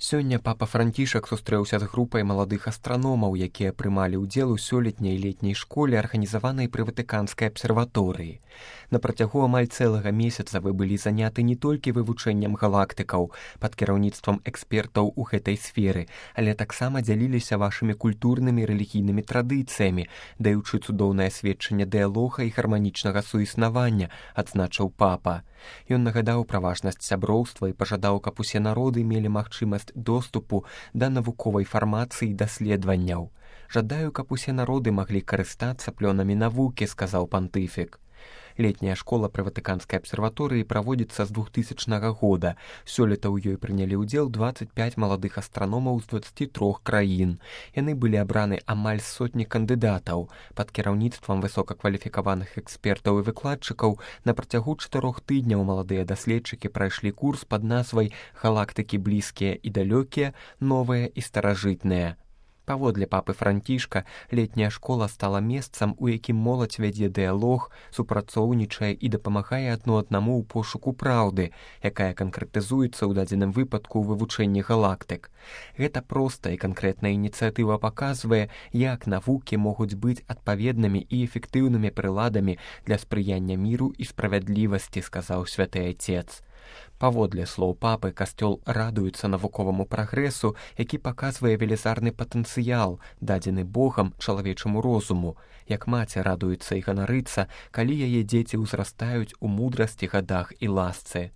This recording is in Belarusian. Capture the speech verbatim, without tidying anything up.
Сёння папа Францішак сустрэўся з групай маладых астраномаў, якія прымалі ўдзел у сёлетняй летняй школе, арганізаванай пры Ватыканскай абсерваторыі. На працягу амаль цэлага месяца вы былі заняты не толькі вывучэннем галактыкаў пад кіраўніцтвам экспертаў у гэтай сферы, але таксама дзяліліся вашымі культурнымі і рэлігійнымі традыцыямі, даючы цудоўнае сведчанне дыялога і гарманічнага суіснавання, адзначыў папа. Ён нагадаў пра важнасць сяброўства і пажадаў, каб усе народы мелі магчымасць доступу да навуковай фармацыі і даследаванняў. «Жадаю, каб усе народы маглі карыстацца плёнамі навукі», — сказаў пантыфік. Летняя школа пры Ватыканскай абсерваторыі праводзіцца з двухтысячнага года. Сёлета ў ёй прынялі ўдзел дваццаць пяць маладых астраномаў з дваццаці трох краін. Яны былі абраны амаль з сотні кандыдатаў. Пад кіраўніцтвам высокакваліфікаваных экспертаў і выкладчыкаў на працягу чатырох тыдняў маладыя даследчыкі прайшлі курс пад назвай «Галактыкі блізкія і далёкія, новыя і старажытныя». Паводле папы Францішка, летняя школа стала месцам, у якім моладзь вядзе дыялог, супрацоўнічае і дапамагае адно аднаму ў пошуку праўды, якая канкрэтызуецца ў дадзеным выпадку ў вывучэнні галактык. Гэта простая і канкрэтная ініцыятыва паказвае, як навукі могуць быць адпаведнымі і эфектыўнымі прыладамі для спрыяння міру і справядлівасці, сказаў святы Айцец. Паводле слоў папы, касцёл радуецца навуковаму прагрэсу, які паказвае велізарны патэнцыял, дадзены Богам чалавечаму розуму, як маці радуецца і ганарыцца, калі яе дзеці ўзрастаюць у мудрасці, гадах і ласцы.